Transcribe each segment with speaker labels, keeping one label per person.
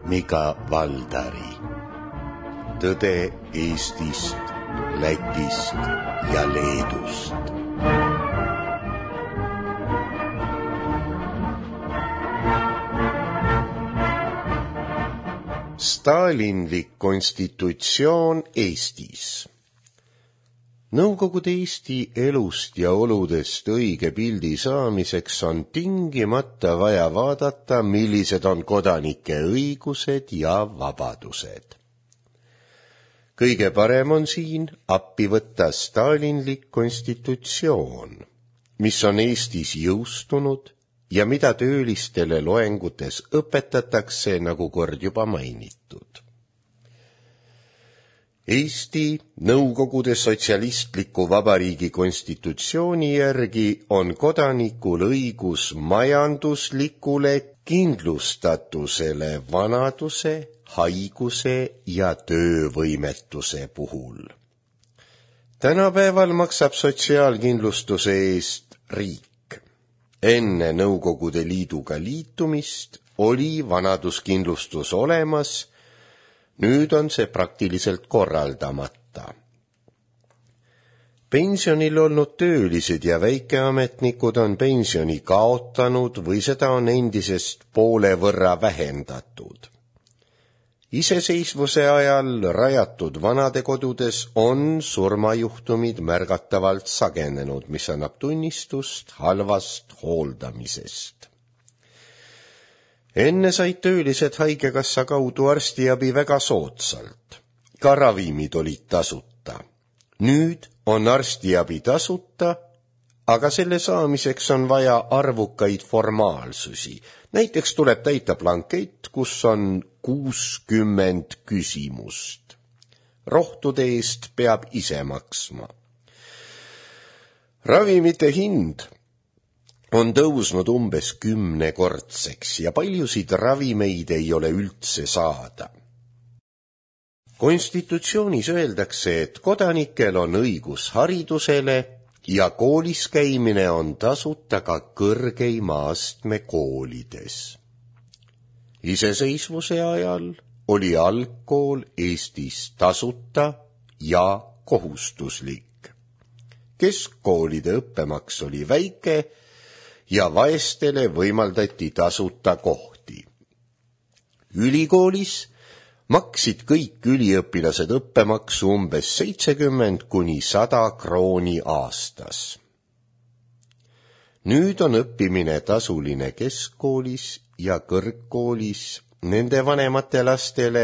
Speaker 1: Mika Valdari. Tõde Eestist, Lätist ja Leedust. Stalinlik konstitutsioon Eestis. Nõukogude Eesti elust ja oludest õige pildi saamiseks on tingimata vaja vaadata, millised on kodanike õigused ja vabadused. Kõige parem on siin appi võtta stalinlik konstitutsioon, mis on Eestis jõustunud ja mida töölistele loengutes õpetatakse, nagu kord juba mainitud. Eesti Nõukogude Sotsialistliku Vabariigi konstitutsiooni järgi on kodanikul õigus majanduslikule kindlustatusele vanaduse, haiguse ja töövõimetuse puhul. Tänapäeval maksab sotsiaalkindlustuse eest riik. Enne Nõukogude Liiduga liitumist oli vanaduskindlustus olemas, nüüd on see praktiliselt korraldamata. Pensionil olnud töölised ja väikeametnikud on pensioni kaotanud või seda on endisest poole võrra vähendatud. Iseseisvuse ajal rajatud vanadekodudes on surmajuhtumid märgatavalt sagenenud, mis annab tunnistust halvast hooldamisest. Enne said töölised haigekassa kaudu arstiabi väga soodsalt. Ka ravimid olid tasuta. Nüüd on arstiabi tasuta, aga selle saamiseks on vaja arvukaid formaalsusi. Näiteks tuleb täita blankett, kus on 60 küsimust. Rohtude eest peab ise maksma. Ravimite hind on tõusnud umbes 10-kordseks ja paljusid ravimeid ei ole üldse saada. Konstitutsioonis öeldakse, et kodanikel on õigus haridusele ja koolis käimine on tasuta ka kõrgeima astme koolides. Iseseisvuse ajal oli algkool Eestis tasuta ja kohustuslik. Keskkoolide õppemaks oli väike ja vaestele võimaldati tasuta kohti. Ülikoolis maksid kõik üliõpilased õppemaksu umbes 70 kuni 100 krooni aastas. Nüüd on õppimine tasuline keskkoolis ja kõrgkoolis nende vanemate lastele,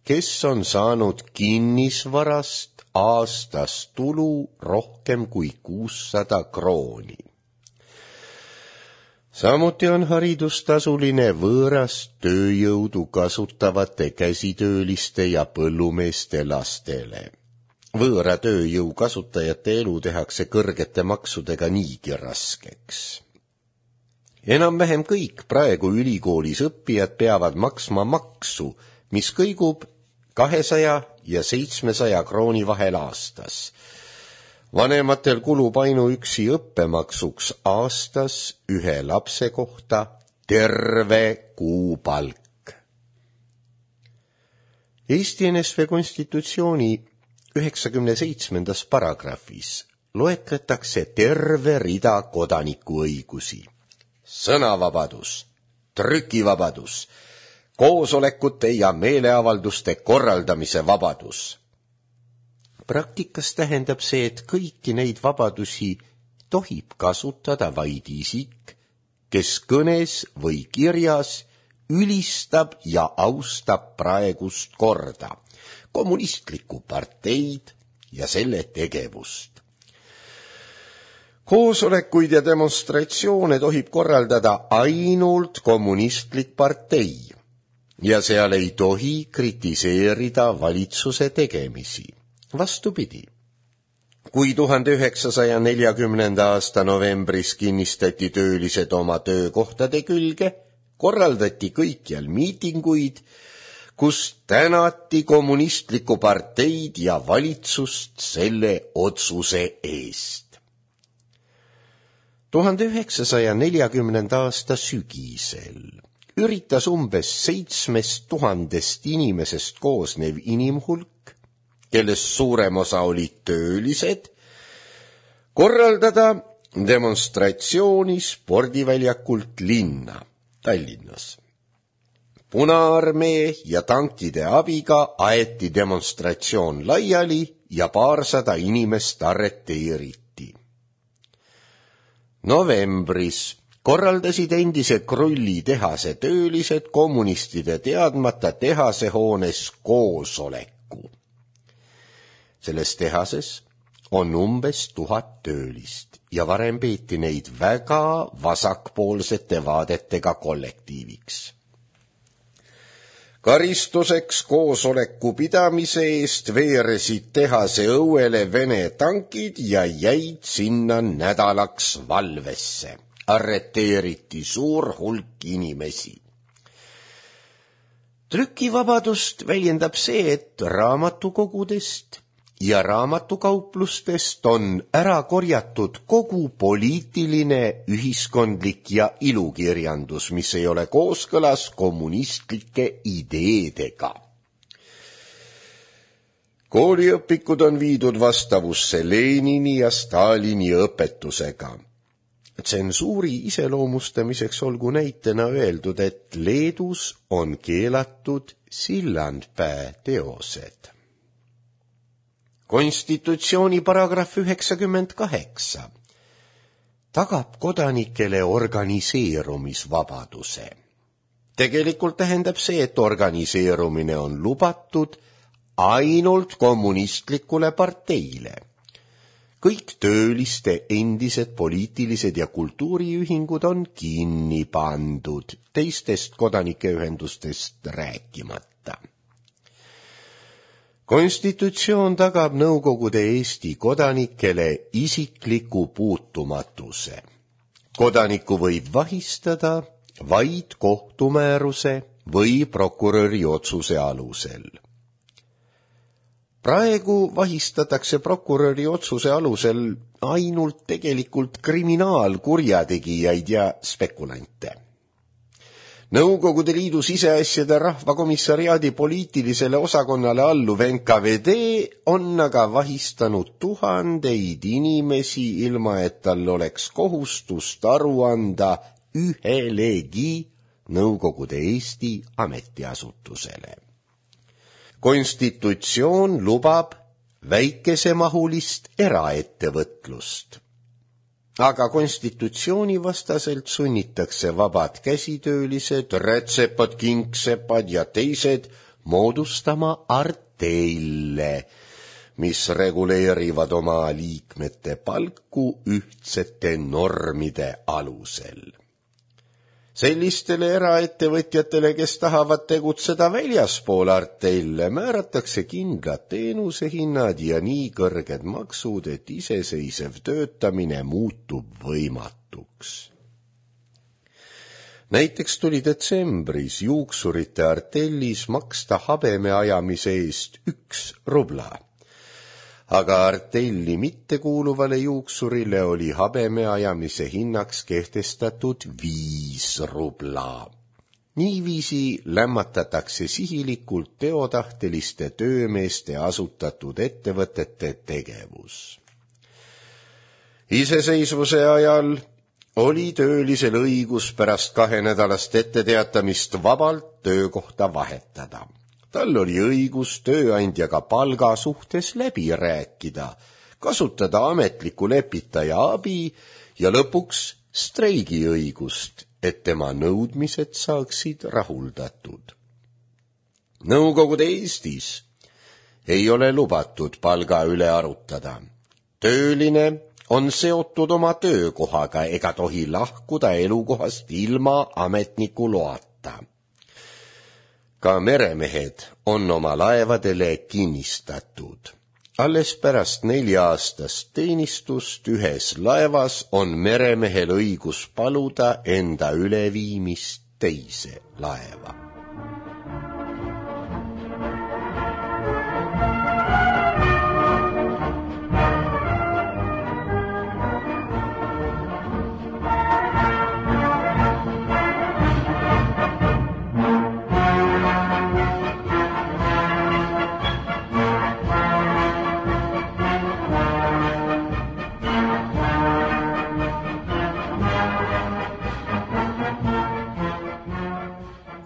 Speaker 1: kes on saanud kinnisvarast aastas tulu rohkem kui 600 krooni. Samuti on haridus tasuline võõrast tööjõudu kasutavate käsitööliste ja põllumeeste lastele. Võõra tööjõu kasutajate elu tehakse kõrgete maksudega niigi raskeks. Enam-vähem kõik praegu ülikoolis õppijad peavad maksma maksu, mis kõigub 200 ja 700 krooni vahel aastas. Vanematel kulub ainuüksi õppemaksuks aastas ühe lapse kohta terve kuupalk. Eesti NSV konstitutsiooni 97. paragrahvis loetletakse terve rida kodanikuõigusi. Sõnavabadus, trükivabadus, koosolekute ja meeleavalduste korraldamise vabadus. Praktikas tähendab see, et kõiki neid vabadusi tohib kasutada vaid isik, kes kõnes või kirjas ülistab ja austab praegust korda, kommunistlikku parteid ja selle tegevust. Koosolekuid ja demonstratsioone tohib korraldada ainult kommunistlik partei ja seal ei tohi kritiseerida valitsuse tegemisi. Vastupidi, kui 1940. aasta novembris kinnistati töölised oma töökohtade külge, korraldati kõikjal miitinguid, kus tänati kommunistlikku parteid ja valitsust selle otsuse eest. 1940. aasta sügisel üritas umbes 7000 inimesest koosnev inimhulk, kellest suurem osa olid töölised, korraldada demonstratsiooni spordiväljakult linna Tallinnas. Punaarmee ja tankide abiga aeti demonstratsioon laiali ja 200 inimest arreteeriti. Novembris korraldasid endise Krulli tehase töölised kommunistide teadmata tehasehoones koosoleku. Selles tehases on umbes 1000 töölist ja varem peeti neid väga vasakpoolsete vaadetega kollektiiviks. Karistuseks koosoleku pidamise eest veeresid tehase õuele Vene tankid ja jäid sinna nädalaks valvesse. Arreteeriti suur hulk inimesi. Trükivabadust väljendab see, et raamatukogudest ja raamatukauplustest on ära korjatud kogu poliitiline, ühiskondlik ja ilukirjandus, mis ei ole kooskõlas kommunistlike ideedega. Kooliõpikud on viidud vastavusse Lenini ja Stalini õpetusega. Tsensuuri iseloomustamiseks olgu näitena öeldud, et Leedus on keelatud Sillandpää teosed. Konstitutsiooni paragrahv 98 tagab kodanikele organiseerumisvabaduse. Tegelikult tähendab see, et organiseerumine on lubatud ainult kommunistlikule parteile. Kõik tööliste endised poliitilised ja kultuuriühingud on kinni pandud, teistest kodanikeühendustest rääkimata. Konstitutsioon tagab Nõukogude Eesti kodanikele isikliku puutumatuse. Kodaniku võib vahistada vaid kohtumääruse või prokuröri otsuse alusel. Praegu vahistatakse prokuröri otsuse alusel ainult tegelikult kriminaalkurjategijaid ja spekulante. Nõukogude Liidu siseasjade rahvakomissariaadi poliitilisele osakonnale alluv NKVD on aga vahistanud tuhandeid inimesi, ilma et tal oleks kohustust aru anda ühelegi Nõukogude Eesti ametiasutusele. Konstitutsioon lubab väikesemahulist eraettevõtlust. Aga konstitutsiooni vastaselt sunnitakse vabad käsitöölised, rätsepad, kingsepad ja teised moodustama arteille, mis reguleerivad oma liikmete palku ühtsete normide alusel. Sellistele eraettevõtjatele, kes tahavad tegutseda väljaspool arteille, määratakse kindlad teenusehinnad ja nii kõrged maksud, et iseseisev töötamine muutub võimatuks. Näiteks tuli detsembris juuksurite artellis maksta habeme ajamise eest 1 rubla. Aga artelli mittekuuluvale juuksurile oli habeme ajamise hinnaks kehtestatud 5 rubla. Niiviisi lämmatatakse sihilikult teotahteliste töömeeste asutatud ettevõtete tegevus. Iseseisvuse ajal oli töölisel õigus pärast 2 nädalast etteteatamist vabalt töökohta vahetada. Tal oli õigus tööandjaga palga suhtes läbi rääkida, kasutada ametliku lepitaja abi ja lõpuks streigiõigust, et tema nõudmised saaksid rahuldatud. Nõukogude Eestis ei ole lubatud palga üle arutada. Tööline on seotud oma töökohaga ega tohi lahkuda elukohast ilma ametniku loata. Ka meremehed on oma laevadele kinnistatud. Alles pärast 4-aastast teenistust ühes laevas on meremehel õigus paluda enda üleviimist teise laeva.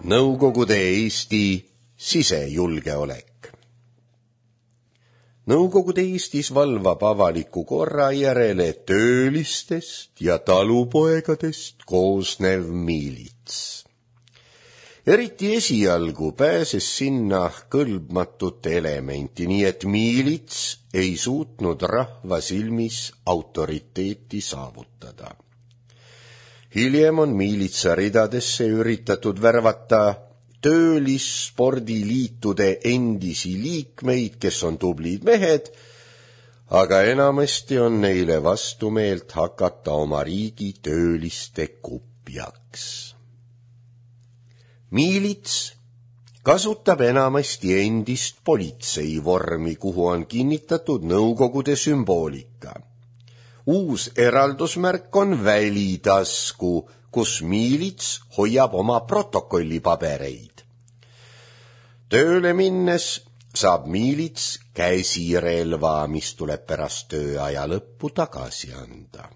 Speaker 1: Nõukogude Eesti sisejulgeolek. Nõukogude Eestis valvab avaliku korra järele töölistest ja talupoegadest koosnev miilits. Eriti esialgu pääses sinna kõlbmatut elementi, nii et miilits ei suutnud rahva silmis autoriteeti saavutada. Hiljem on miilitsa ridadesse üritatud värvata töölisspordiliitude endisi liikmeid, kes on tublid mehed, aga enamasti on neile vastumeelt hakata oma riigi tööliste kupjaks. Miilits kasutab enamasti endist politseivormi, kuhu on kinnitatud Nõukogude sümboolika. Uus eraldusmärk on välitasku, kus miilits hoiab oma protokollipabereid. Tööle minnes saab miilits käsirelva, mis tuleb pärast tööaja lõppu tagasi anda.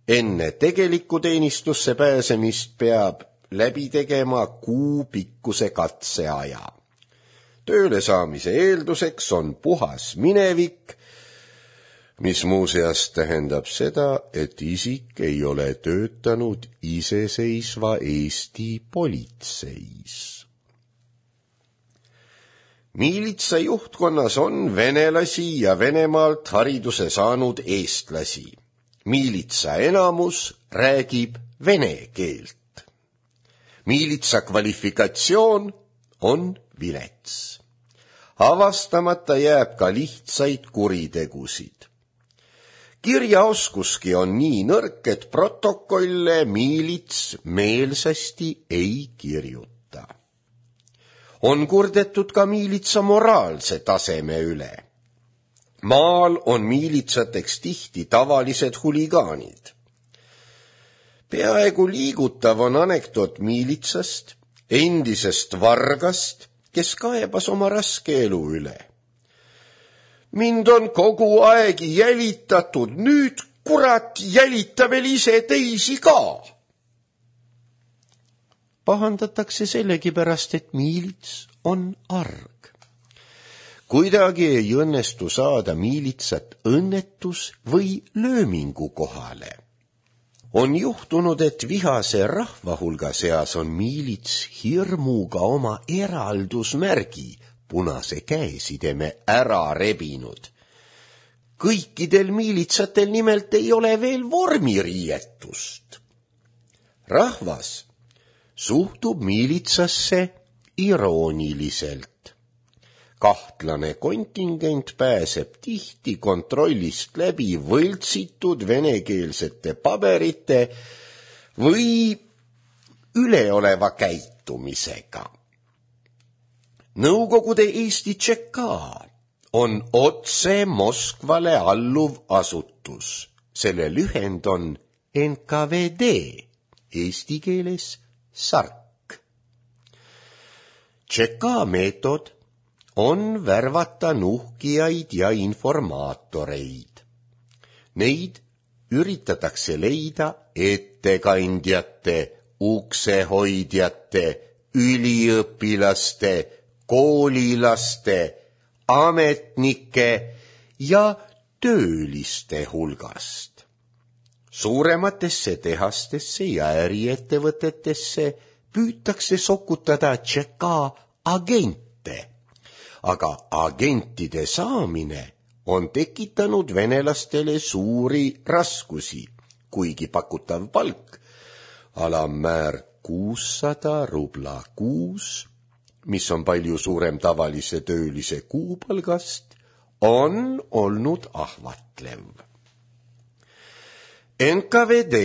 Speaker 1: Enne tegelikku teenistusse pääsemist peab läbi tegema kuupikkuse katseaja. Tööle saamise eelduseks on puhas minevik, mis muuseas tähendab seda, et isik ei ole töötanud iseseisva Eesti politseis. Miilitsa juhtkonnas on venelasi ja Venemaalt hariduse saanud eestlasi. Miilitsa enamus räägib vene keelt. Miilitsa kvalifikatsioon on vilets. Avastamata jääb ka lihtsaid kuritegusid. Kirjaoskuski on nii nõrk, et protokolle miilits meelsasti ei kirjuta. On kurdetud ka miilitsa moraalse taseme üle. Maal on miilitsateks tihti tavalised huligaanid. Peaaegu liigutav on anekdoot miilitsast, endisest vargast, kes kaebas oma raske elu üle. Mind on kogu aeg jälitatud, nüüd kurat jälita veel ise teisi ka. Pahandatakse sellegipärast, et miilits on arg. Kuidagi ei õnnestu saada miilitsat õnnetus või löömingu kohale. On juhtunud, et vihase rahva hulga seas on miilits hirmuga oma eraldusmärgi, punase käesideme ära rebinud. Kõikidel miilitsatel nimelt ei ole veel vormiriietust. Rahvas suhtub miilitsasse irooniliselt. Kahtlane kontingent pääseb tihti kontrollist läbi võltsitud venekeelsete paberite või üleoleva käitumisega. Nõukogude Eesti ČK on otse Moskvale alluv asutus. Selle lühend on NKVD, eesti keeles SARK. ČK meetod on värvata nuhkijaid ja informaatoreid. Neid üritatakse leida ettekandjate, uksehoidjate, üliõpilaste, koolilaste, ametnike ja tööliste hulgast. Suurematesse tehastesse ja äriettevõtetesse püütakse sokutada ČK agente, aga agentide saamine on tekitanud venelastele suuri raskusi, kuigi pakutav palk, alammäär 600 rubla kuus, mis on palju suurem tavalise töölise kuupalgast, on olnud ahvatlev. NKVD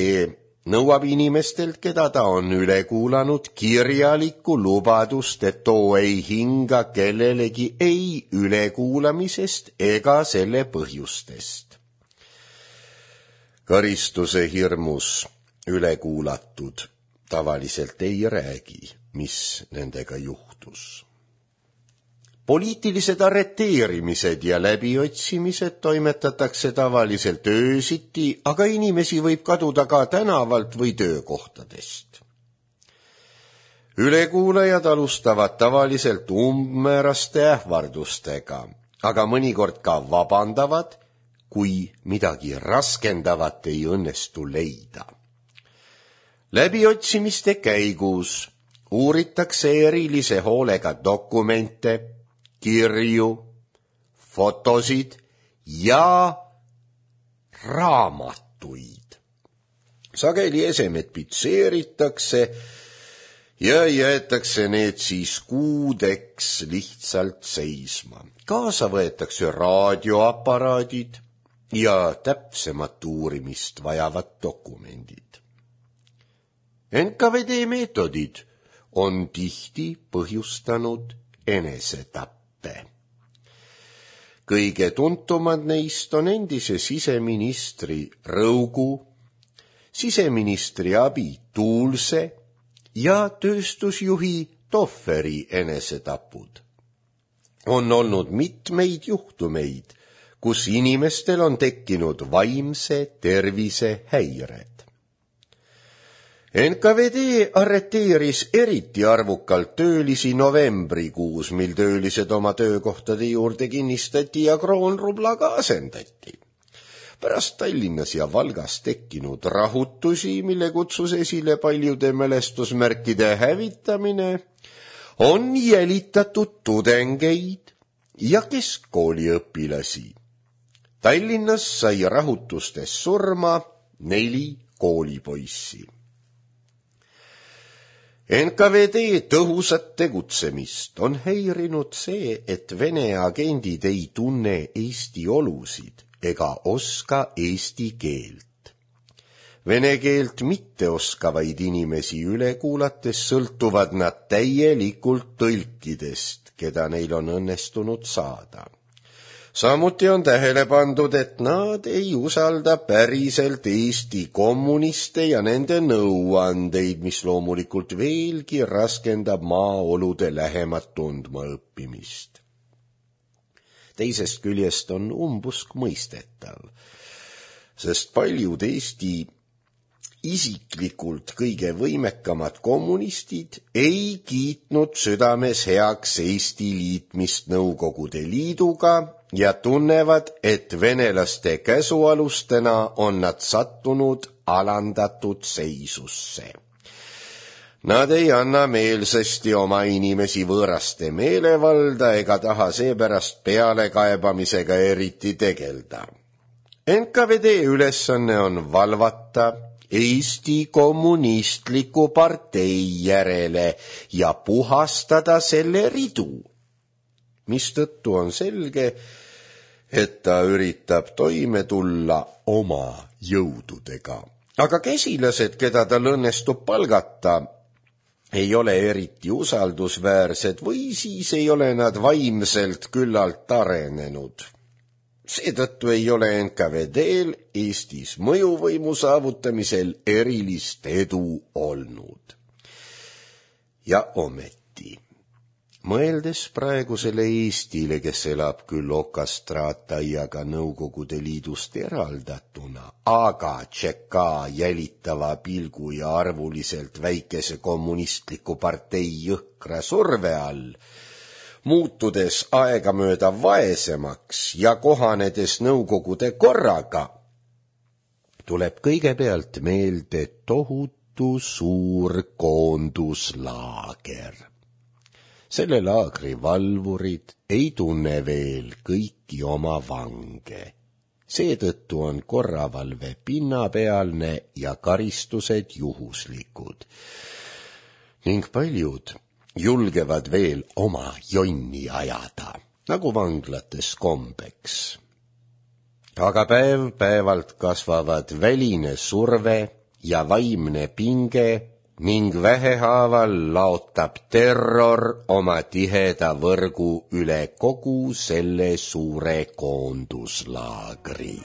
Speaker 1: nõuab inimestelt, keda ta on üle kuulanud, kirjalikku lubadust, et too ei hinga kellelegi ei ülekuulamisest ega selle põhjustest. Karistuse hirmus ülekuulatud tavaliselt ei räägi, mis nendega juhtus. Poliitilised arreteerimised ja läbiotsimised toimetatakse tavaliselt öösiti, aga inimesi võib kaduda ka tänavalt või töökohtadest. Ülekuulajad alustavad tavaliselt umbmääraste ähvardustega, aga mõnikord ka vabandavad, kui midagi raskendavat ei õnnestu leida. Läbiotsimiste käigus uuritakse erilise hoolega dokumente, kirju, fotosid ja raamatuid. Sageli esemed pitseeritakse ja jäetakse need siis kuudeks lihtsalt seisma. Kaasa võetakse raadioaparaadid ja täpsemat uurimist vajavad dokumendid. NKVD meetodid on tihti põhjustanud enesetappe. Kõige tuntumad neist on endise siseministri Rõugu, siseministri abi Tuulse ja tööstusjuhi Tohveri enesetapud. On olnud mitmeid juhtumeid, kus inimestel on tekkinud vaimse tervise häired. NKVD arreteeris eriti arvukalt töölisi novembrikuus, mil töölised oma töökohtade juurde kinnistati ja kroonrublaga asendati. Pärast Tallinnas ja Valgas tekkinud rahutusi, mille kutsus esile paljude mälestusmärkide hävitamine, on jälitatud tudengeid ja keskkooliõpilasi. Tallinnas sai rahutustes surma 4 koolipoissi. NKVD tõhusat tegutsemist on häirinud see, et Vene agendid ei tunne Eesti olusid ega oska eesti keelt. Vene keelt mitteoskavaid inimesi üle kuulates sõltuvad nad täielikult tõlkidest, keda neil on õnnestunud saada. Samuti on tähele pandud, et nad ei usalda päriselt Eesti kommuniste ja nende nõuandeid, mis loomulikult veelgi raskendab maaolude lähemat tundma õppimist. Teisest küljest on umbusk mõistetav, sest paljud Eesti isiklikult kõige võimekamad kommunistid ei kiitnud südames heaks Eesti liitmist Nõukogude Liiduga ja tunnevad, et venelaste käsualustena on nad sattunud alandatud seisusse. Nad ei anna meelsasti oma inimesi võõraste meelevalda ega taha seepärast pealekaebamisega eriti tegelda. NKVD ülesanne on valvata Eesti kommunistliku partei järele ja puhastada selle ridu, mistõttu on selge, et ta üritab toime tulla oma jõududega. Aga käsilased, keda tal õnnestub palgata, ei ole eriti usaldusväärsed või siis ei ole nad vaimselt küllalt arenenud. Seetõttu ei ole NKVD-l Eestis mõjuvõimu saavutamisel erilist edu olnud. Ja ometi, mõeldes praegusele Eestile, kes elab küll okastraataiaga Nõukogude Liidust eraldatuna, aga tšeka jälitava pilgu ja arvuliselt väikese kommunistliku partei jõhkra surve all, muutudes aegamööda vaesemaks ja kohanedes Nõukogude korraga, tuleb kõigepealt meelde tohutu suur koonduslaager. Selle laagri valvurid ei tunne veel kõiki oma vange. Seetõttu on korravalve pinnapealne ja karistused juhuslikud. Ning paljud julgevad veel oma jonni ajada, nagu vanglates kombeks. Aga päev-päevalt kasvavad väline surve ja vaimne pinge ning vähehaaval laotab terror oma tiheda võrgu üle kogu selle suure koonduslaagri.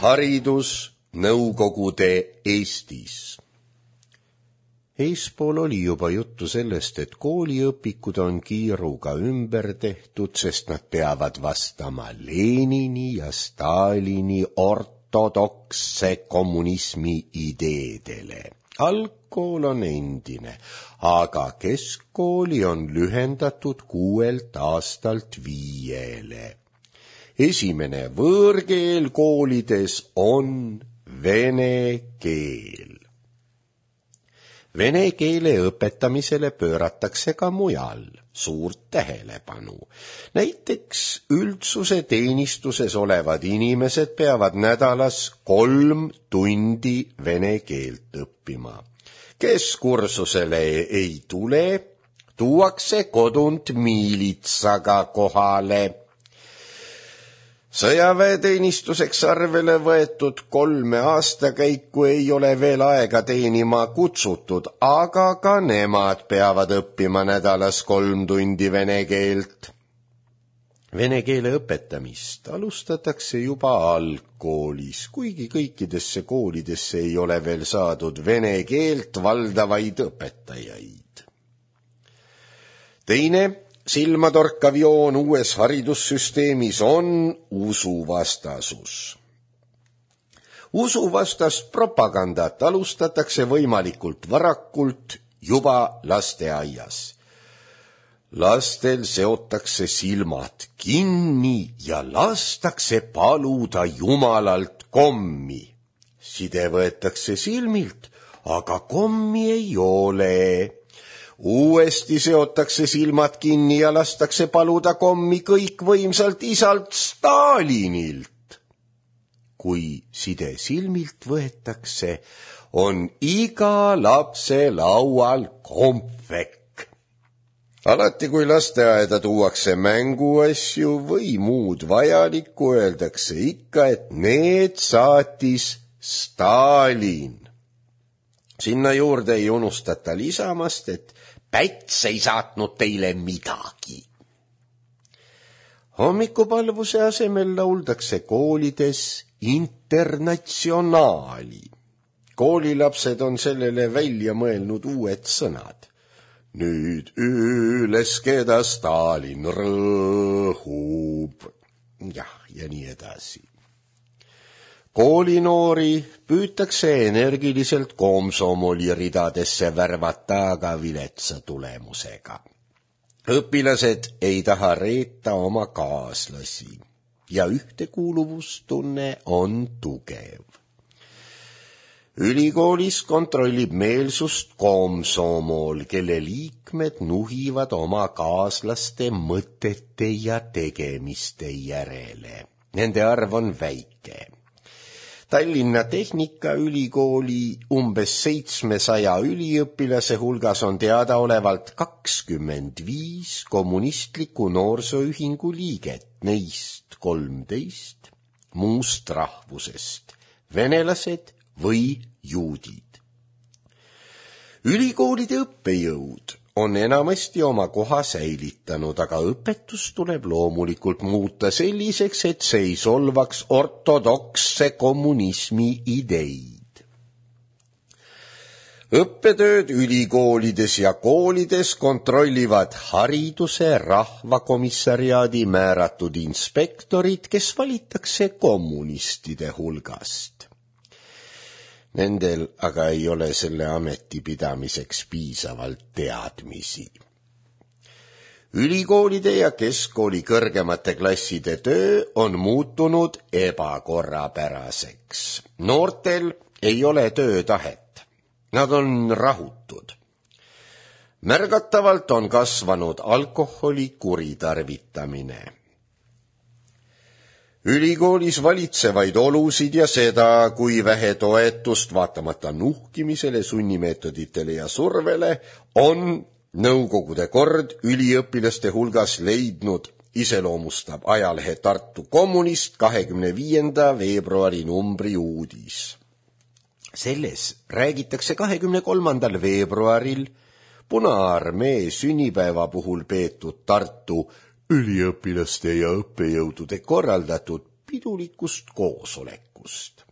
Speaker 1: Haridus Nõukogude Eestis. Eespool oli juba juttu sellest, et kooliõpikud on kiiruga ümber tehtud, sest nad peavad vastama Lenini ja Stalini ortodoksse kommunismi ideedele. Algkool on endine, aga keskkooli on lühendatud 6 aastalt 5. Esimene võõrkeel koolides on vene keel. Vene keele õpetamisele pööratakse ka mujal suurt tähelepanu. Näiteks üldsuse teenistuses olevad inimesed peavad nädalas 3 tundi vene keelt õppima. Kes kursusele ei tule, tuuakse kodunt miilitsaga kohale. Sõjaväeteenistuseks arvele võetud 3 aastakäiku ei ole veel aega teenima kutsutud, aga ka nemad peavad õppima nädalas 3 tundi vene keelt. Vene keele õpetamist alustatakse juba algkoolis, kuigi kõikidesse koolidesse ei ole veel saadud vene keelt valdavaid õpetajaid. Teine silmatorkav joon uues haridussüsteemis on usuvastasus. Usuvastast propagandat alustatakse võimalikult varakult juba lasteaias. Lastel seotakse silmad kinni ja lastakse paluda Jumalalt kommi. Side võetakse silmilt, aga kommi ei ole. Uuesti seotakse silmad kinni ja lastakse paluda kommi kõikvõimsalt isalt Stalinilt. Kui side silmilt võetakse, on iga lapse laual kompvekk. Alati kui lasteaeda tuuakse mänguasju või muud vajalikku, öeldakse ikka, et need saatis Stalin. Sinna juurde ei unustata lisamast, et Päts ei saatnud teile midagi. Hommikupalvuse asemel lauldakse koolides internatsionaali. Koolilapsed on sellele välja mõelnud uued sõnad. Nüüd üles, keda Stalin rõhub. Ja nii edasi. Koolinoori püütakse energiliselt komsomoli ridadesse värvata, aga viletsa tulemusega. Õpilased ei taha reeta oma kaaslasi ja ühtekuuluvustunne on tugev. Ülikoolis kontrollib meelsust komsomol, kelle liikmed nuhivad oma kaaslaste mõtete ja tegemiste järele. Nende arv on väike. Tallinna Tehnikaülikooli umbes 700 üliõpilase hulgas on teadaolevalt 25 kommunistliku noorsooühingu liiget, neist 13 muust rahvusest, venelased või juudid. Ülikoolide õppejõud on enamasti oma koha säilitanud, aga õpetus tuleb loomulikult muuta selliseks, et see ei solvaks ortodoksse kommunismi ideid. Õppetööd ülikoolides ja koolides kontrollivad hariduse rahvakomissariaadi määratud inspektorid, kes valitakse kommunistide hulgast. Nendel aga ei ole selle ameti pidamiseks piisavalt teadmisi. Ülikoolide ja keskkooli kõrgemate klasside töö on muutunud ebakorrapäraseks. Noortel ei ole töötahet. Nad on rahutud. Märgatavalt on kasvanud alkoholi kuritarvitamine. Ülikoolis valitsevaid olusid ja seda, kui vähe toetust vaatamata nuhkimisele, sunnimeetoditele ja survele, on Nõukogude kord üliõpilaste hulgas leidnud, iseloomustab ajalehe Tartu Kommunist 25. veebruari numbri uudis. Selles räägitakse 23. veebruaril Punaarmee sünnipäeva puhul peetud Tartu üliõpilaste ja õppejõudude korraldatud pidulikust koosolekust. koosolekust.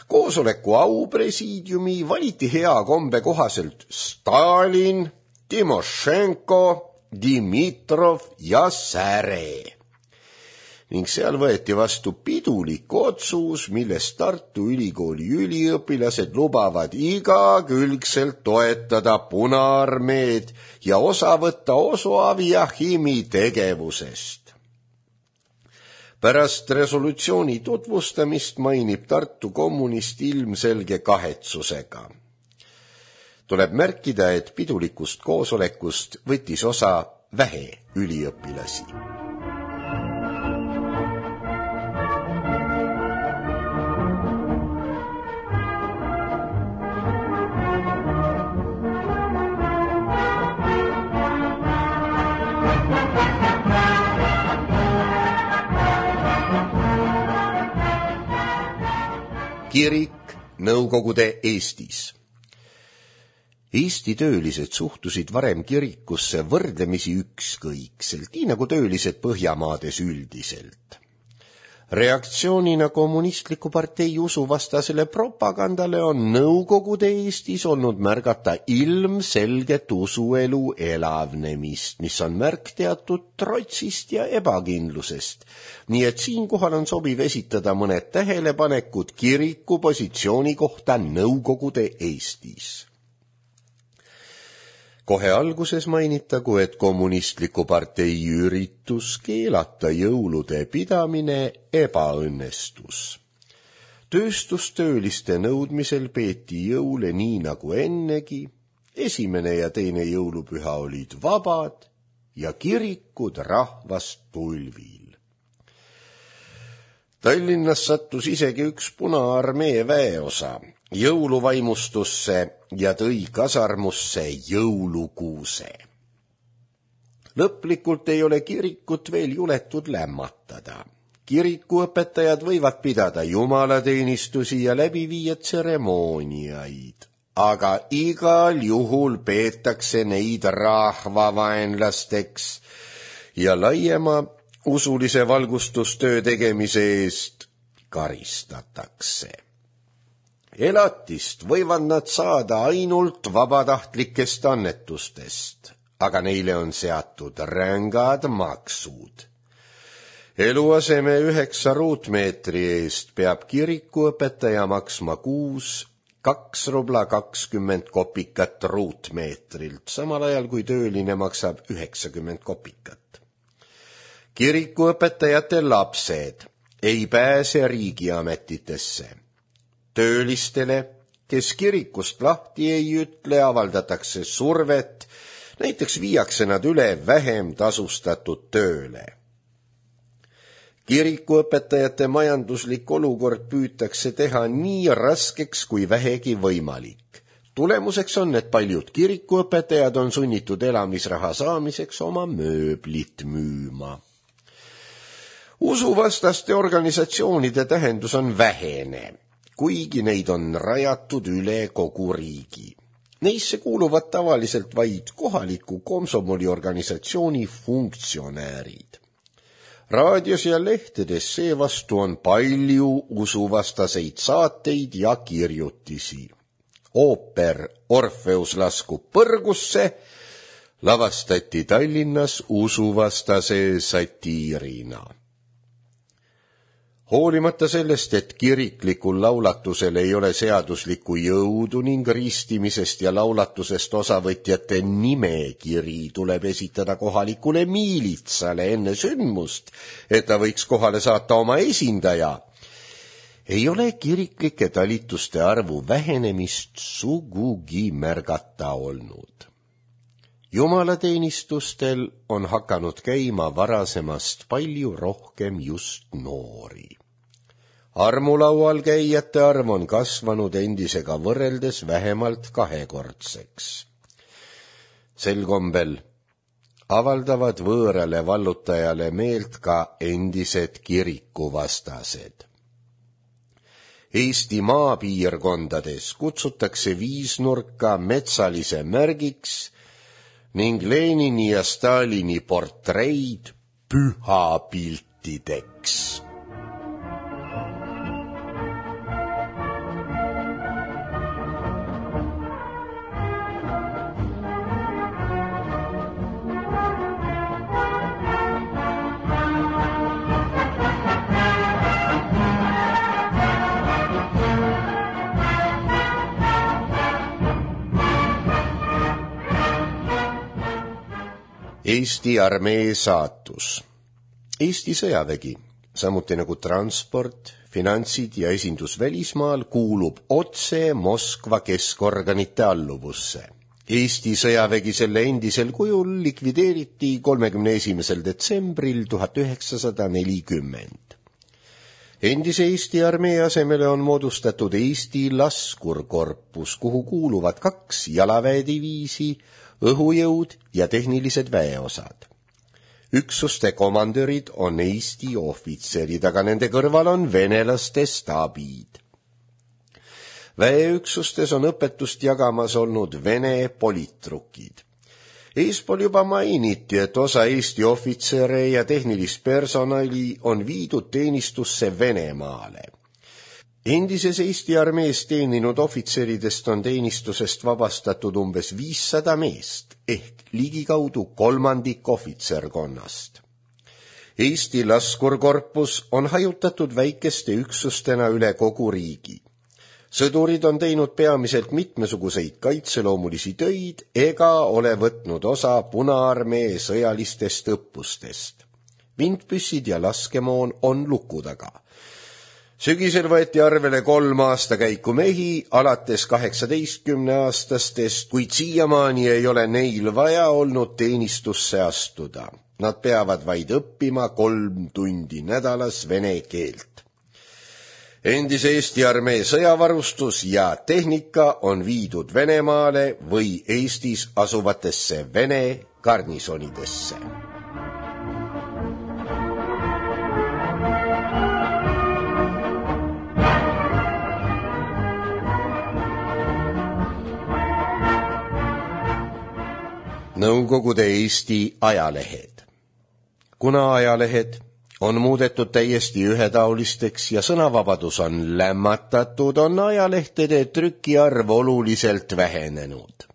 Speaker 1: Koosoleku aupresiidiumi valiti hea kombe kohaselt Stalin, Timošenko, Dimitrov ja Säre. Ning seal võeti vastu pidulik otsus, milles Tartu Ülikooli üliõpilased lubavad igakülgselt toetada Punaarmeed ja osa võtta Osoavi Jahimi tegevusest. Pärast resolutsiooni tutvustamist mainib Tartu kommunist ilmselge kahetsusega. Tuleb märkida, et pidulikust koosolekust võttis osa vähe üliõpilasi. Kirik Nõukogude Eestis. Eesti töölised suhtusid varem kirikusse võrdlemisi ükskõikselt, nii nagu töölised Põhjamaades üldiselt. Reaktsioonina kommunistliku partei usuvastasele propagandale on Nõukogude Eestis olnud märgata ilmselget usuelu elavnemist, mis on märk teatud trotsist ja ebakindlusest. Nii et siinkohal on sobiv esitada mõned tähelepanekud kiriku positsiooni kohta Nõukogude Eestis. Kohe alguses mainitagu, et kommunistliku partei üritus keelata jõulude pidamine ebaõnnestus. Tööstustööliste nõudmisel peeti jõule nii nagu ennegi, esimene ja teine jõulupüha olid vabad ja kirikud rahvast tulvil. Tallinnas sattus isegi üks Punaarmee väeosa jõuluvaimustusse ja tõi kasarmusse jõulukuuse. Lõplikult ei ole kirikut veel juletud lämmatada. Kirikuõpetajad võivad pidada jumalateenistusi ja läbi viia tseremooniaid, aga igal juhul peetakse neid rahvavaenlasteks ja laiema usulise valgustustöö tegemise eest karistatakse. Elatist võivad nad saada ainult vabatahtlikest annetustest, aga neile on seatud rängad maksud. Eluaseme 9 ruutmeetri eest peab kirikuõpetaja maksma kuus 2 rubla 20 kopikat ruutmeetrilt, samal ajal kui tööline maksab 90 kopikat. Kirikuõpetajate lapsed ei pääse riigiametitesse. Töölistele, kes kirikust lahti ei ütle, avaldatakse survet, näiteks viiakse nad üle vähem tasustatud tööle. Kirikuõpetajate majanduslik olukord püütakse teha nii raskeks kui vähegi võimalik. Tulemuseks on, et paljud kirikuõpetajad on sunnitud elamisraha saamiseks oma mööblit müüma. Usuvastaste organisatsioonide tähendus on vähene, kuigi neid on rajatud üle kogu riigi. Neisse kuuluvad tavaliselt vaid kohaliku komsomoliorganisatsiooni funktsionäärid. Raadios ja lehtedes seevastu on palju usuvastaseid saateid ja kirjutisi. Ooper Orfeus laskub põrgusse lavastati Tallinnas usuvastase satiirina. Hoolimata sellest, et kiriklikul laulatusel ei ole seaduslikku jõudu ning ristimisest ja laulatusest osavõtjate nimekiri tuleb esitada kohalikule miilitsale enne sündmust, et ta võiks kohale saata oma esindaja, ei ole kiriklike talituste arvu vähenemist sugugi märgata olnud. Jumalateenistustel on hakanud käima varasemast palju rohkem just noori. Armulaual käijate arv on kasvanud endisega võrreldes vähemalt 2-kordseks. Sel kombel avaldavad võõrale vallutajale meelt ka endised kirikuvastased. Eesti maapiirkondades kutsutakse viisnurka metsalise märgiks ning Lenini ja Stalini portreid pühapiltideks. Eesti armee saatus. Eesti sõjavägi, samuti nagu transport, finantsid ja esindus välismaal, kuulub otse Moskva keskorganite alluvusse. Eesti sõjavägi selle endisel kujul likvideeriti 31. detsembril 1940. Endise Eesti armee asemele on moodustatud Eesti laskurkorpus, kuhu kuuluvad 2 jalaväediviisi, õhujõud ja tehnilised väeosad. Üksuste komandörid on Eesti ohvitserid, aga nende kõrval on venelaste staabid. Väeüksustes on õpetust jagamas olnud Vene politrukid. Eespool juba mainiti, et osa Eesti ohvitsere ja tehnilist personali on viidud teenistusse Venemaale. Endises Eesti armees teeninud ohvitseridest on teenistusest vabastatud umbes 500 meest ehk ligikaudu 1/3 ohvitserkonnast. Eesti laskurkorpus on hajutatud väikeste üksustena üle kogu riigi. Sõdurid on teinud peamiselt mitmesuguseid kaitseloomulisi töid ega ole võtnud osa Punaarmee sõjalistest õppustest. Vintpüssid ja laskemoon on luku taga. Sügisel võeti arvele 3 aastakäiku mehi alates 18-aastastest, kuid siiamaani ei ole neil vaja olnud teenistusse astuda. Nad peavad vaid õppima 3 tundi nädalas vene keelt. Endise Eesti armee sõjavarustus ja tehnika on viidud Venemaale või Eestis asuvatesse Vene garnisonidesse. Nõukogude Eesti ajalehed. Kuna ajalehed on muudetud täiesti ühetaolisteks ja sõnavabadus on lämmatatud, on ajalehtede trükiarv oluliselt vähenenud.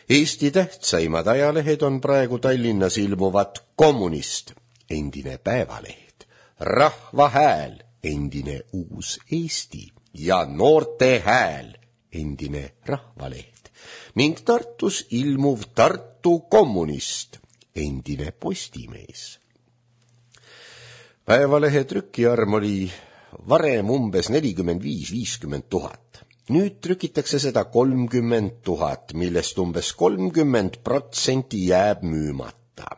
Speaker 1: Eesti tähtsaimad ajalehed on praegu Tallinnas ilmuvad Kommunist, endine Päevaleht, Rahva Hääl, endine Uus Eesti ja Noorte Hääl, endine Rahvaleht ning Tartus ilmuv Tartu Kommunist, endine Postimees. Päevalehe trükiarv oli varem umbes 45-50 000. Nüüd trükitakse seda 30 000, millest umbes 30% jääb müümata.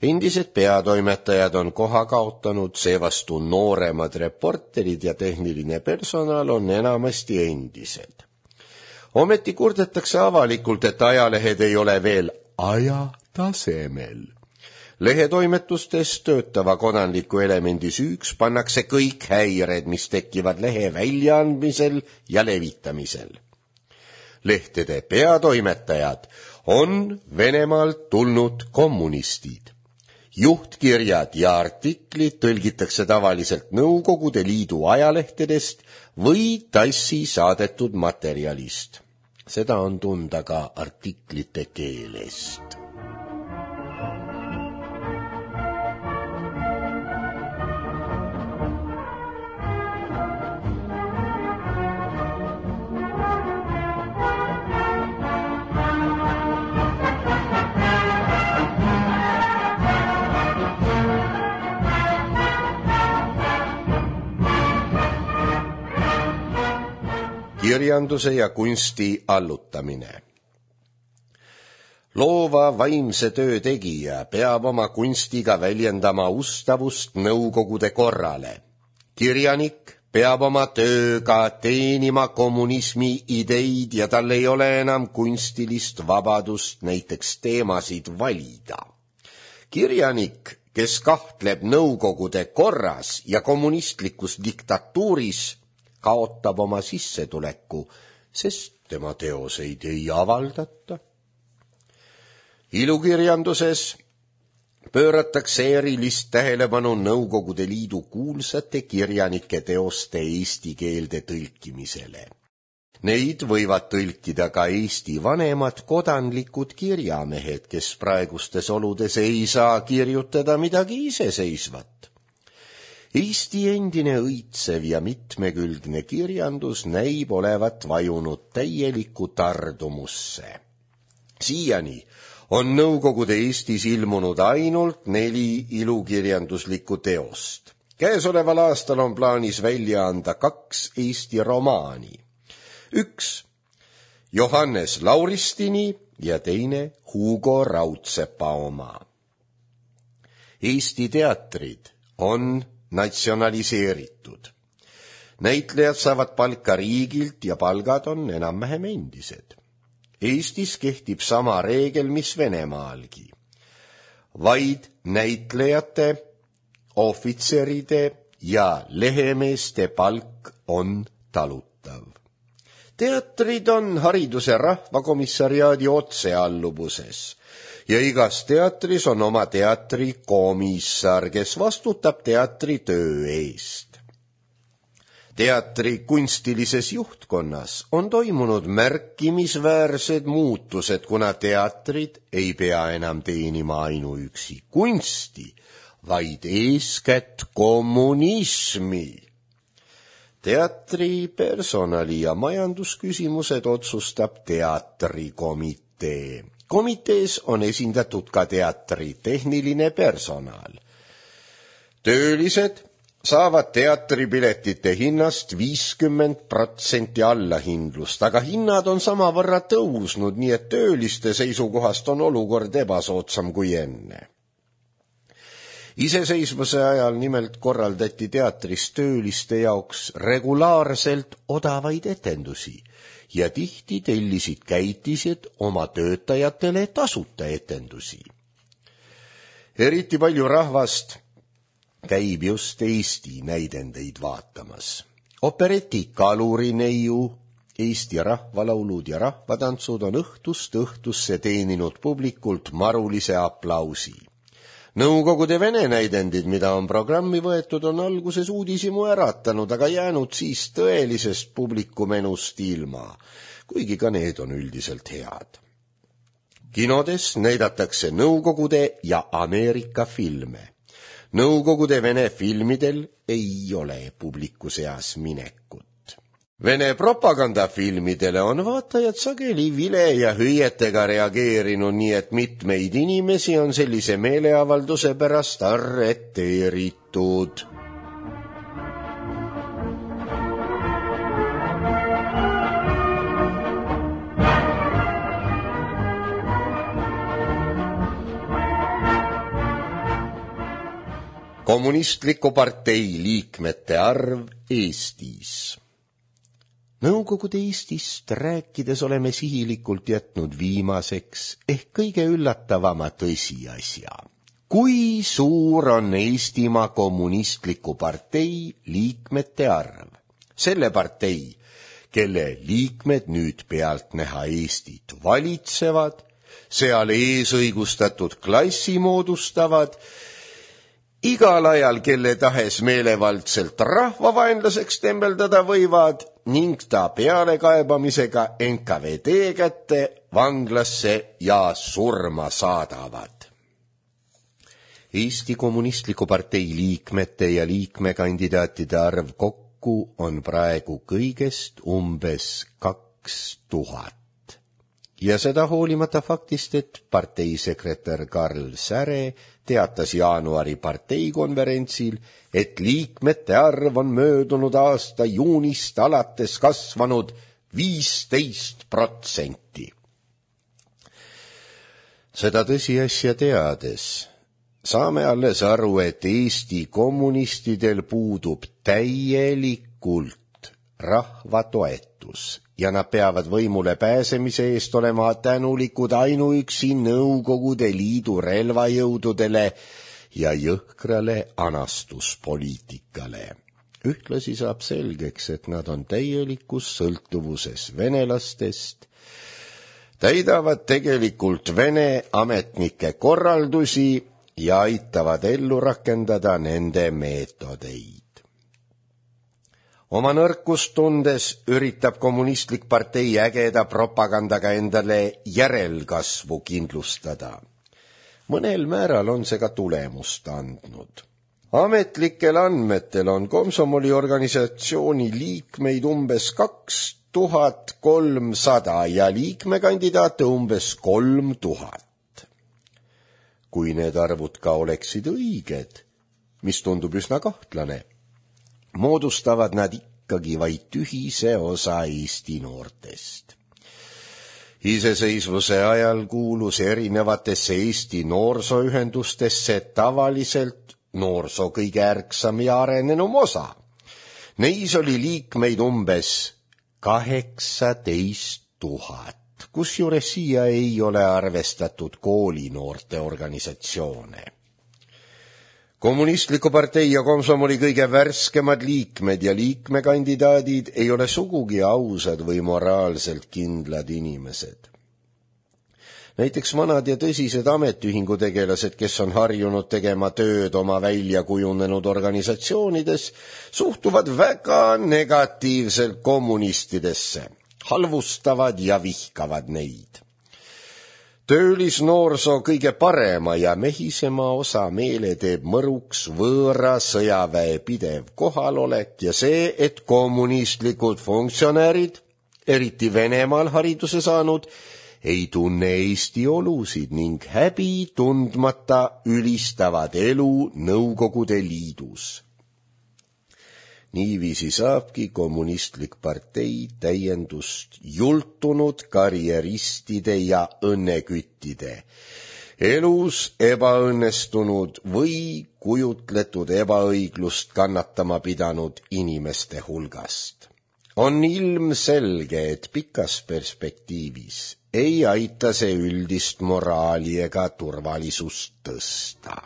Speaker 1: Endised peatoimetajad on koha kaotanud, seevastu nooremad reporterid ja tehniline personal on enamasti endised. Ometi kurdetakse avalikult, et ajalehed ei ole veel aja tasemel. Lehetoimetustes töötava kodanliku elemendi süüks pannakse kõik häired, mis tekivad lehe väljaandmisel ja levitamisel. Lehtede peatoimetajad on Venemaalt tulnud kommunistid. Juhtkirjad ja artiklid tõlgitakse tavaliselt Nõukogude Liidu ajalehtedest või TASSi saadetud materjalist. Seda on tunda ka artiklite keelest. Kirjanduse ja kunsti allutamine. Loova vaimse töö tegija peab oma kunstiga väljendama ustavust Nõukogude korrale. Kirjanik peab oma tööga teenima kommunismi ideid ja tal ei ole enam kunstilist vabadust näiteks teemasid valida. Kirjanik, kes kahtleb Nõukogude korras ja kommunistlikus diktatuuris, kaotab oma sissetuleku, sest tema teoseid ei avaldata. Ilukirjanduses pööratakse erilist tähelepanu Nõukogude Liidu kuulsate kirjanike teoste eesti keelde tõlkimisele. Neid võivad tõlkida ka Eesti vanemad kodanlikud kirjamehed, kes praegustes oludes ei saa kirjutada midagi iseseisvat. Eesti endine õitsev ja mitmekülgne kirjandus näib olevat vajunud täielikku tardumusse. Siiani on Nõukogude Eestis ilmunud ainult 4 ilukirjanduslikku teost. Käesoleval aastal on plaanis välja anda 2 Eesti romaani. 1 Johannes Lauristini ja teine Hugo Raudsepa oma. Eesti teatrid on natsionaliseeritud. Näitlejad saavad palka riigilt ja palgad on enam-vähem endised. Eestis kehtib sama reegel, mis Venemaalgi. Vaid näitlejate, ohvitseride ja lehemeeste palk on talutav. Teatrid on Hariduse Rahvakomissariaadi otsealluvuses ja igas teatris on oma teatrikomissar, kes vastutab teatri töö eest. Teatri kunstilises juhtkonnas on toimunud märkimisväärsed muutused, kuna teatrid ei pea enam teenima ainuüksi kunsti, vaid eeskätt kommunismi. Teatri personali- ja majandusküsimused otsustab teatrikomitee. Komitees on esindatud ka teatri tehniline personal. Töölised saavad teatripiletite hinnast 50% allahindlust, aga hinnad on samavõrra tõusnud, nii et tööliste seisukohast on olukord ebasoodsam kui enne. Iseseisvuse ajal nimelt korraldati teatris tööliste jaoks regulaarselt odavaid etendusi ja tihti tellisid käitised oma töötajatele tasuta etendusi. Eriti palju rahvast käib just Eesti näidendeid vaatamas. Opereti Kalurineiu, Eesti rahvalaulud ja rahvatantsud on õhtust õhtusse teeninud publikult marulise aplausi. Nõukogude Vene näidendid, mida on programmi võetud, on alguses uudishimu äratanud, aga jäänud siis tõelisest publikumenust ilma, kuigi ka need on üldiselt head. Kinodes näidatakse Nõukogude ja Ameerika filme. Nõukogude Vene filmidel ei ole publiku seas minekut. Vene propagandafilmidele on vaatajad sageli vile ja hüüetega reageerinud, nii et mitmeid inimesi on sellise meeleavalduse pärast arreteeritud. Kommunistliku partei liikmete arv Eestis. Nõukogude Eestist rääkides oleme sihilikult jätnud viimaseks ehk kõige üllatavama tõsiasja. Kui suur on Eestimaa kommunistliku partei liikmete arv? Selle partei, kelle liikmed nüüd pealtnäha Eestit valitsevad, seal eesõigustatud klassi moodustavad, igal ajal kelle tahes meelevaldselt rahvavaenlaseks tembeldada võivad ning ta pealekaebamisega NKVD kätte, vanglasse ja surma saadavad. Eesti Kommunistliku partei liikmete ja liikmekandidaatide arv kokku on praegu kõigest umbes 2000. Ja seda hoolimata faktist, et parteisekretär Karl Säre teatas jaanuari parteikonverentsil, et liikmete arv on möödunud aasta juunist alates kasvanud 15%. Seda tõsiasja teades saame alles aru, et Eesti kommunistidel puudub täielikult rahva toetus ja nad peavad võimule pääsemise eest olema tänulikud ainuüksi Nõukogude Liidu relvajõududele ja jõhkrale anastuspoliitikale. Ühtlasi saab selgeks, et nad on täielikus sõltuvuses venelastest, täidavad tegelikult Vene ametnike korraldusi ja aitavad ellu rakendada nende meetodeid. Oma nõrkust tundes üritab kommunistlik partei ägeda propagandaga endale järelkasvu kindlustada. Mõnel määral on see ka tulemust andnud. Ametlikel andmetel on Komsomoli organisatsiooni liikmeid umbes 2300 ja liikmekandidaate umbes 3000. Kui need arvud ka oleksid õiged, mis tundub üsna kahtlane, moodustavad nad ikkagi vaid tühise osa Eesti noortest. Iseseisvuse ajal kuulus erinevatesse Eesti noorsooühendustesse tavaliselt noorsoo kõige ärksam ja arenenum osa. Neis oli liikmeid umbes 18 000, kusjuures siia ei ole arvestatud koolinoorte organisatsioone. Kommunistliku partei ja Komsomoli kõige värskemad liikmed ja liikmekandidaadid ei ole sugugi ausad või moraalselt kindlad inimesed. Näiteks vanad ja tõsised ametiühingutegelased, kes on harjunud tegema tööd oma välja kujunenud organisatsioonides, suhtuvad väga negatiivselt kommunistidesse, halvustavad ja vihkavad neid. Töölisnoorsoo kõige parema ja mehisema osa meele teeb mõruks võõra sõjaväe pidev kohalolek ja see, et kommunistlikud funktsionäärid, eriti Venemaal hariduse saanud, ei tunne Eesti olusid ning häbi tundmata ülistavad elu Nõukogude Liidus. Niiviisi saabki kommunistlik partei täiendust jultunud karjeristide ja õnneküttide, elus ebaõnnestunud või kujutletud ebaõiglust kannatama pidanud inimeste hulgast. On ilmselge, et pikas perspektiivis ei aita see üldist moraali ega turvalisust tõsta.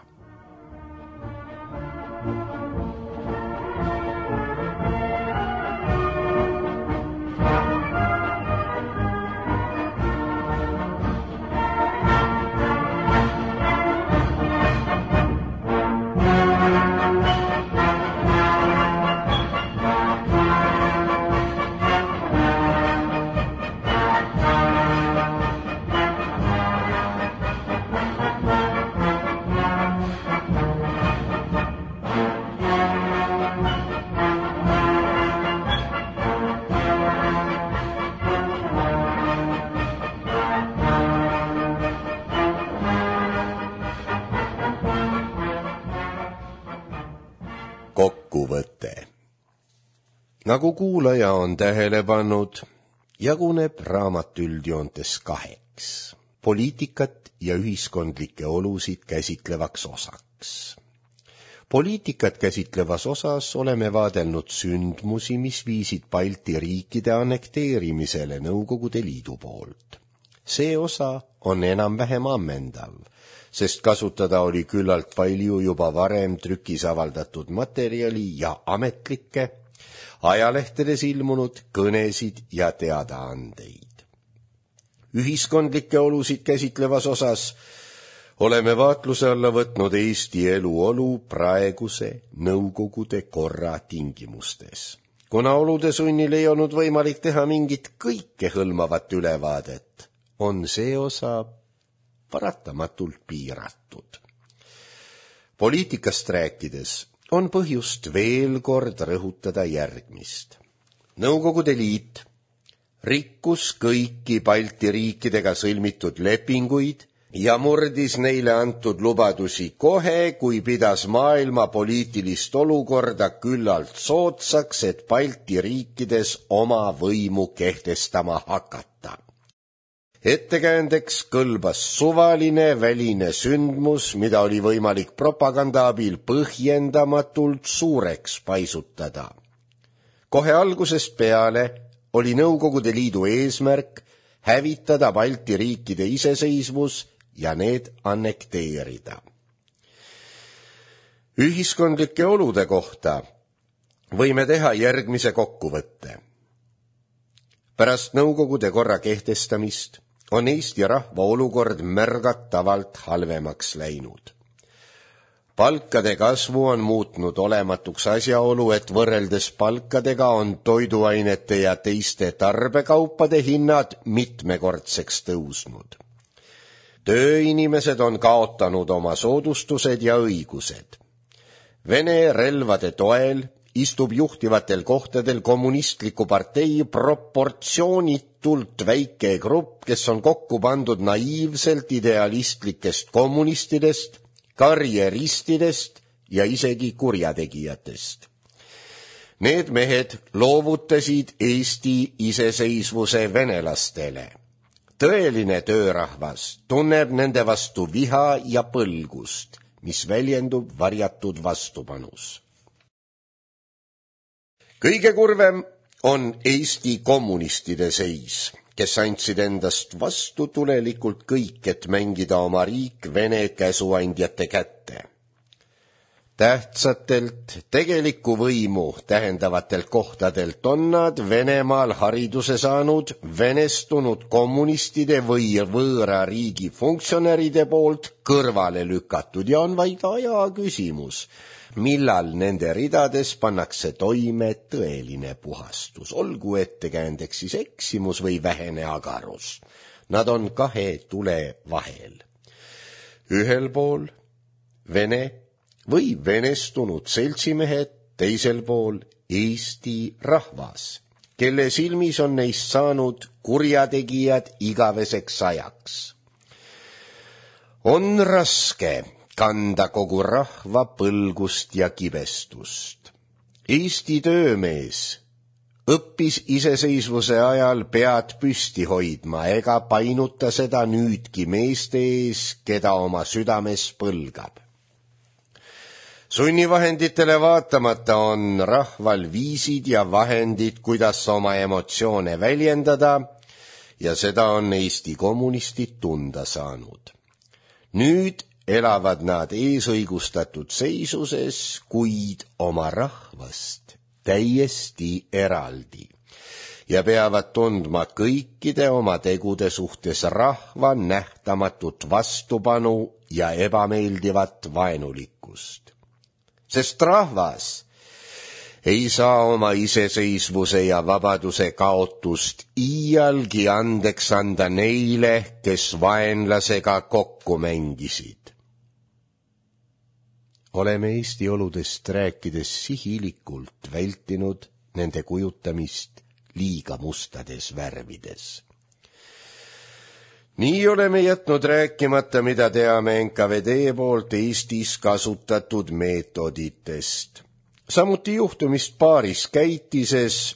Speaker 1: Kokkuvõte. Nagu kuulaja on tähele pannud, jaguneb raamat üldjoontes kaheks, poliitikat ja ühiskondlikke olusid käsitlevaks osaks. Poliitikat käsitlevas osas oleme vaadelnud sündmusi, mis viisid Balti riikide annekteerimisele Nõukogude Liidu poolt. See osa on enam-vähem ammendav, sest kasutada oli küllalt palju juba varem trükis avaldatud materjali ja ametlikke, ajalehtedes ilmunud kõnesid ja teadaandeid. Ühiskondlikke olusid käsitlevas osas oleme vaatluse alla võtnud Eesti eluolu praeguse Nõukogude korra tingimustes. Kuna olude sunnil ei olnud võimalik teha mingit kõikehõlmavat ülevaadet, on see osa paratamatult piiratud. Poliitikast rääkides on põhjust veel kord rõhutada järgmist. Nõukogude Liit rikkus kõiki Balti riikidega sõlmitud lepinguid ja murdis neile antud lubadusi kohe, kui pidas maailma poliitilist olukorda küllalt soodsaks, et Balti riikides oma võimu kehtestama hakata. Ettekäändeks kõlbas suvaline väline sündmus, mida oli võimalik propaganda abil põhjendamatult suureks paisutada. Kohe algusest peale oli Nõukogude Liidu eesmärk hävitada Balti riikide iseseisvus ja need annekteerida. Ühiskondlike olude kohta võime teha järgmise kokkuvõtte. Pärast Nõukogude korra kehtestamist on Eesti rahva olukord märgatavalt halvemaks läinud. Palkade kasvu on muutnud olematuks asjaolu, et võrreldes palkadega on toiduainete ja teiste tarbekaupade hinnad mitmekordseks tõusnud. Tööinimesed on kaotanud oma soodustused ja õigused. Vene relvade toel istub juhtivatel kohtadel kommunistliku partei proportsioonitult väike grupp, kes on kokku pandud naiivselt idealistlikest kommunistidest, karjeristidest ja isegi kurjategijatest. Need mehed loovutasid Eesti iseseisvuse venelastele. Tõeline töörahvas tunneb nende vastu viha ja põlgust, mis väljendub varjatud vastupanus. Kõige kurvem on Eesti kommunistide seis, kes andsid endast vastutulelikult kõik, et mängida oma riik Vene käsuandjate kätte. Tähtsatelt tegelikku võimu tähendavatelt kohtadelt on nad Venemaal hariduse saanud venestunud kommunistide või võõra riigi funktsionäride poolt kõrvale lükatud ja on vaid aja küsimus, millal nende ridades pannakse toime tõeline puhastus, olgu ettekäändeks siis eksimus või vähene agarus. Nad on kahe tule vahel. Ühel pool Vene või venestunud seltsimehed, teisel pool Eesti rahvas, kelle silmis on neist saanud kurjategijad igaveseks ajaks. On raske kanda kogu rahva põlgust ja kibestust. Eesti töömees õppis iseseisvuse ajal pead püsti hoidma ega painuta seda nüüdki meeste ees, keda oma südames põlgab. Sunnivahenditele vaatamata on rahval viisid ja vahendid, kuidas oma emotsioone väljendada, ja seda on Eesti kommunistid tunda saanud. Nüüd elavad nad eesõigustatud seisuses, kuid oma rahvast täiesti eraldi ja peavad tundma kõikide oma tegude suhtes rahva nähtamatut vastupanu ja ebameeldivat vaenulikkust. Sest rahvas ei saa oma iseseisvuse ja vabaduse kaotust iialgi andeks anda neile, kes vaenlasega kokku mängisid. Oleme Eesti oludest rääkides sihilikult vältinud nende kujutamist liiga mustades värvides. Nii oleme jätnud rääkimata, mida teame NKVD poolt Eestis kasutatud meetoditest. Samuti juhtumist paaris käitises,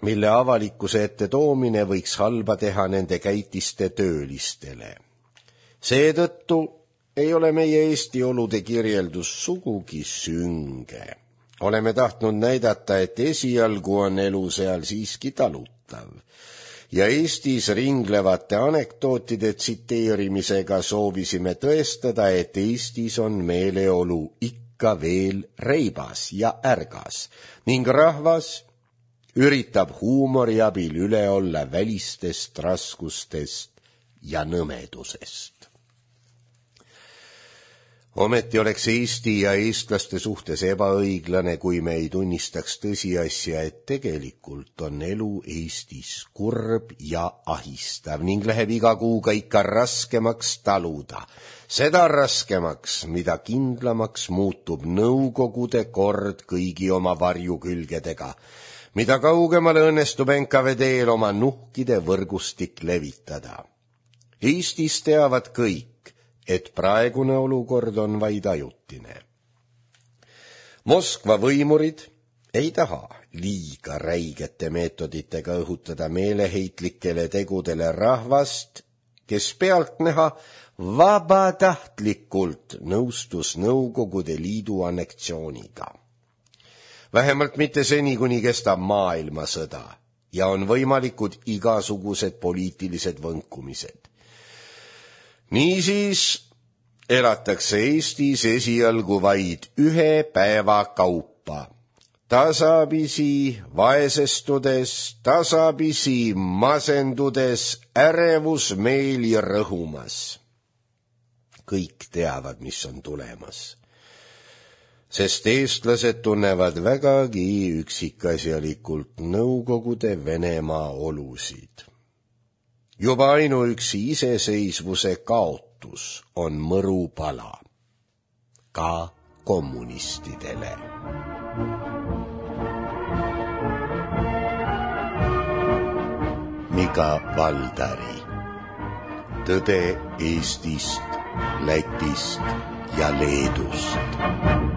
Speaker 1: mille avalikkuse ette toomine võiks halba teha nende käitiste töölistele. Seetõttu ei ole meie Eesti olude kirjeldus sugugi sünge. Oleme tahtnud näidata, et esialgu on elu seal siiski talutav. Ja Eestis ringlevate anekdootide tsiteerimisega soovisime tõestada, et Eestis on meeleolu ikka veel reibas ja ärgas ning rahvas üritab huumori abil üle olla välistest raskustest ja nõmedusest. Ometi oleks Eesti ja eestlaste suhtes ebaõiglane, kui me ei tunnistaks tõsiasja, et tegelikult on elu Eestis kurb ja ahistav ning läheb iga kuuga ikka raskemaks taluda. Seda raskemaks, mida kindlamaks muutub Nõukogude kord kõigi oma varjukülgedega, mida kaugemale õnnestub NKVD-l oma nuhkide võrgustik levitada. Eestis teavad kõik, et praegune olukord on vaid ajutine. Moskva võimurid ei taha liiga räigete meetoditega õhutada meeleheitlikele tegudele rahvast, kes pealtnäha vabatahtlikult nõustus Nõukogude Liidu anneksiooniga. Vähemalt mitte seni, kuni kestab maailmasõda ja on võimalikud igasugused poliitilised võnkumised. Niisiis elatakse Eestis esialgu vaid ühe päeva kaupa, tasapisi vaesestudes, tasapisi masendudes, ärevusmeeli rõhumas. Kõik teavad, mis on tulemas. sest eestlased tunnevad vägagi üksikasjalikult Nõukogude Venemaa olusid. Juba ainuüksi iseseisvuse kaotus on mõrupala, ka kommunistidele. Mika Valdari. Tõde Eestist, Lätist ja Leedust.